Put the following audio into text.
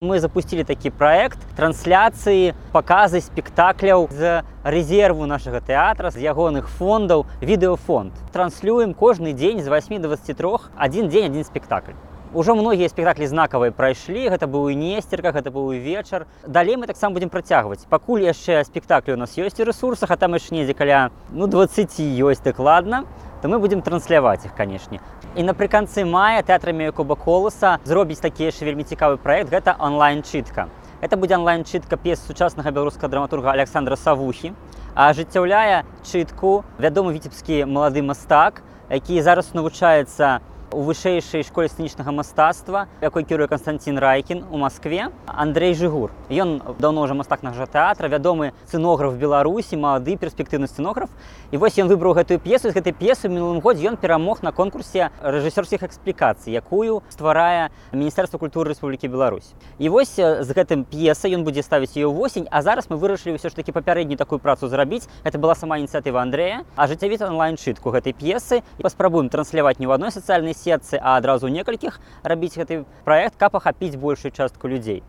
Мы запустили такі праект трансляцыі, паказы спектакляў з рэзерву нашага тэатра, з ягоных фондаў, відэафонд. Транслюем кожны дзень з 8 до 23, адзін дзень, адзін спектакль. Ужо многія спектаклі знакавыя прайшлі, гэта быў і Несцерка, гэта быў і вечар. Далей мы таксама будзем працягваць. Пакуль яшчэ спектаклі у нас ёсць у рэсурсах, а там яшчэ недзе каля 20 ёсць дакладна, то мы будзем трансляваць іх, канешне. І напрыканцы мая тэатр імя Якуба Коласа зробіць такі яшчэ вельмі цікавы праект, гэта онлайн-чытка. Гэта будзе онлайн-чытка п'ес сучаснага беларускага драматурга Александра Савухі, а ажыццяўляе чытку вядомы віцебскі малады мастак, які зараз навучаецца у вышэйшай школе сцэнічнага мастацтва, якой кіруе Канстанцін Райкін у Маскве, Андрэй Жыгур. Ён даўно ўжо мастак нашага тэатра, вядомы сцэнограф Беларусі, малады перспектыўны сцэнограф. І вось ён выбраў гэтую п'есу, і з гэтай п'есы ў мінулым годзе ён перамог на конкурсе рэжысёрскіх эксплікацый, якую стварае Міністэрства культуры Рэспублікі Беларусь. І вось з гэтым п'есай ён будзе ставіць яе ўвосень, а зараз мы вырашылі ўсё ж такі папярэднюю такую працу зрабіць. Гэта была сама ініцыятыва Андрэя, ажыццявіць онлайн-чытку гэтай п'есы. І паспрабуем трансляваць не ў адной сацыяльнай сетцы, а адразу некалькіх, рабіць гэты праект, каб ахапіць большую частку людзей.